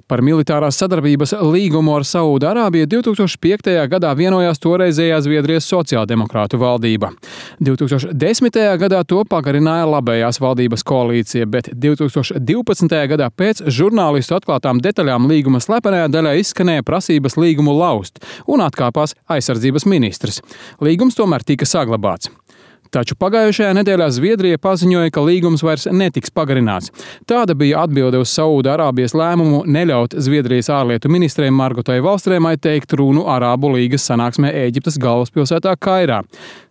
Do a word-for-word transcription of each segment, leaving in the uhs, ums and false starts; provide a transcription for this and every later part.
Par militārās sadarbības līgumu ar Saūda-Arābiju divs tūkstoši piektajā gadā vienojās toreizējā Zviedrijas sociāldemokrātu valdība. divs tūkstoši desmitajā gadā to pagarināja labējās valdības koalīcija, bet divs tūkstoši divpadsmitajā gadā pēc žurnālistu atklātām detaļām līguma slepenajā daļā izskanēja prasības līgumu laust un atkāpās aizsardzības ministrs. Līgums tomēr tika saglabāts. Taču pagājušajā nedēļā Zviedrija paziņoja, ka līgums vairs netiks pagarināts. Tāda bija atbilde uz Saūda-Arābijas lēmumu neļaut Zviedrijas ārlietu ministrei Margotai Wallstrēmai teikt runu Arābu līgas sanāksmē Ēģiptes galvaspilsētā Kairā.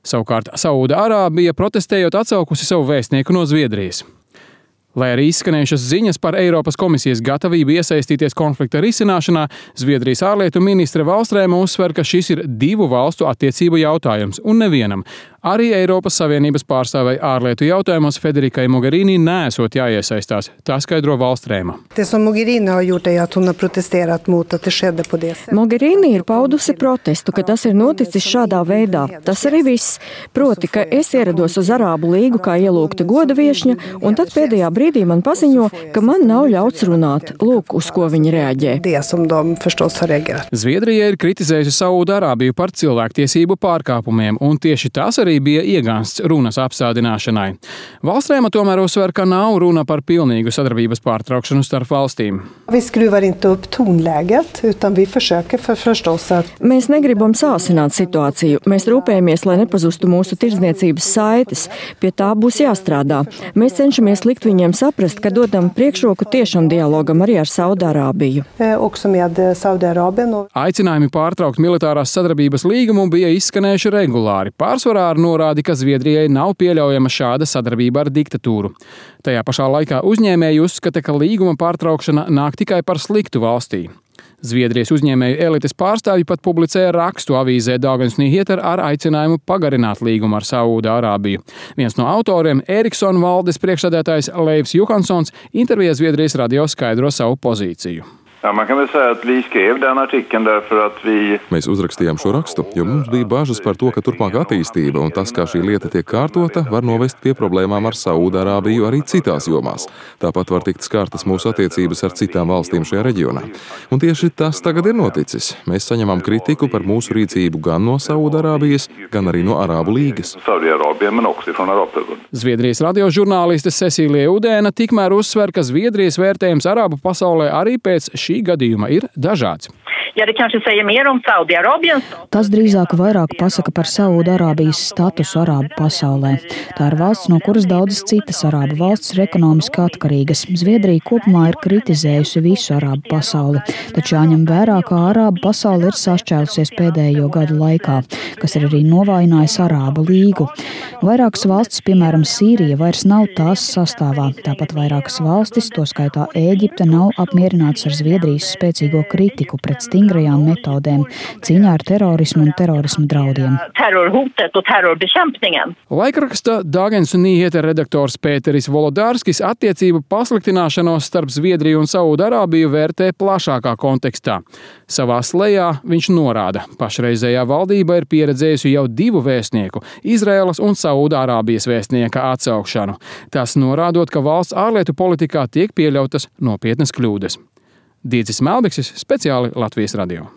Savukārt Saūda-Arābija protestējot atsaukusi savu vēstnieku no Zviedrijas. Lai arī izskanējušas ziņas par Eiropas komisijas gatavību iesaistīties konflikta risināšanā, Zviedrijas ārlietu ministre Wallstrēma uzsver, ka šis ir divu valstu attiecību jautājums un nevienam. Arī Eiropas Savienības pārstāvei ārlietu jautājumos Federikai Mogherini neesot jāiesaistās. Tā skaidro Wallstrēma. Mogherini ir paudusi protestu, ka tas ir noticis šādā veidā. Tas arī viss. Proti, ka es ierados uz Arābu līgu kā ielūgta goda viešņa, un tad pēdējā brīdī man paziņo, ka man nav ļauts runāt. Lūk, uz ko viņi reaģē. Zviedrija ir kritizējusi Saūda-Arābiju par cilvēktiesību pārkāpumiem, un tieši tas arī bija iegānsts runas apstādināšanai. Wallstrēma tomēr uzsver, ka nav runa par pilnīgu sadarbības pārtraukšanu starp valstīm. Mēs negribam sāsināt situāciju. Mēs rūpējamies, lai nepazustu mūsu tirdzniecības saites. Pie tā būs jāstrādā. Mēs cenšamies likt viņiem saprast, ka dodam priekšroku tiešam dialogam arī ar Saūda-Arābiju. Aicinājumi pārtraukt militārās sadarbības līgumu bija izskanējuši regulāri. Pārsvarā ar norādi, ka Zviedrijai nav pieļaujama šāda sadarbība ar diktatūru. Tajā pašā laikā uzņēmēji uzskata, ka līguma pārtraukšana nāk tikai par sliktu valstī. Zviedrijas uzņēmēju elites pārstāvji pat publicēja rakstu avīzē Dagens Nyheter ar aicinājumu pagarināt līgumu ar Saūda-Arābiju. Viens no autoriem, Eriksson valdes priekšsēdētājs Leifs Johanssons, intervijā Zviedrijas radio skaidro savu pozīciju. Ja, man kan väl säga att vi skrev den artikeln därför att vi... Mēs uzrakstījām šo rakstu, jo mums bija bažas par to, ka turpmāk attīstība un tas, kā šī lieta tiek kārtota, var novest pie problēmām ar Saūda-Arābiju arī citās jomās. Tāpat var tikt skārtas mūsu attiecības ar citām valstīm šajā reģionā. Un tieši tas tagad ir noticis. Mēs saņemam kritiku par mūsu rīcību gan no Saūda-Arābijas, gan arī no Arābu līgas. Zviedrijas radiožurnāliste Cecīlija Udēna tikmēr uzsver, ka Zviedrijas vērtējums Arābu pasaulē arī pēc šī gadījuma ir dažāds. Tas drīzāk vairāk pasaka par Saūda-Arābijas statusu Arābu pasaulē. Tā ir valsts, no kuras daudzas citas Arābu valstis ir ekonomiski atkarīgas. Zviedrija kopumā ir kritizējusi visu Arābu pasauli, taču jāņem vērā, ka Arābu pasaule ir sašķēlusies pēdējo gadu laikā, kas ir arī novājinājis Arābu līgu. Vairākas valstis, piemēram Sīrija, vairs nav tās sastāvā. Tāpat vairākas valstis, to skaitā Ēģipte, nav apmierinātas ar Zviedrijas spēcīgo kritiku pret stingrajām metodēm cīņā ar terorismu un terorismu draudiem. Laikraksta Dagens Nyheter redaktors Pēteris Volodārskis attiecību pasliktināšanos starp Zviedriju un Saūda-Arābiju vērtē plašākā kontekstā. Savā slejā viņš norāda, pašreizējā valdība ir pieredzējusi jau divu vēstnieku, Izraēlas un Saūda-Arābijas vēstnieka atsaukšanu. Tas norādot, ka valsts ārlietu politikā tiek pieļautas nopietnas kļūdas. Dīdzis Melbeksis, speciāli Latvijas radio.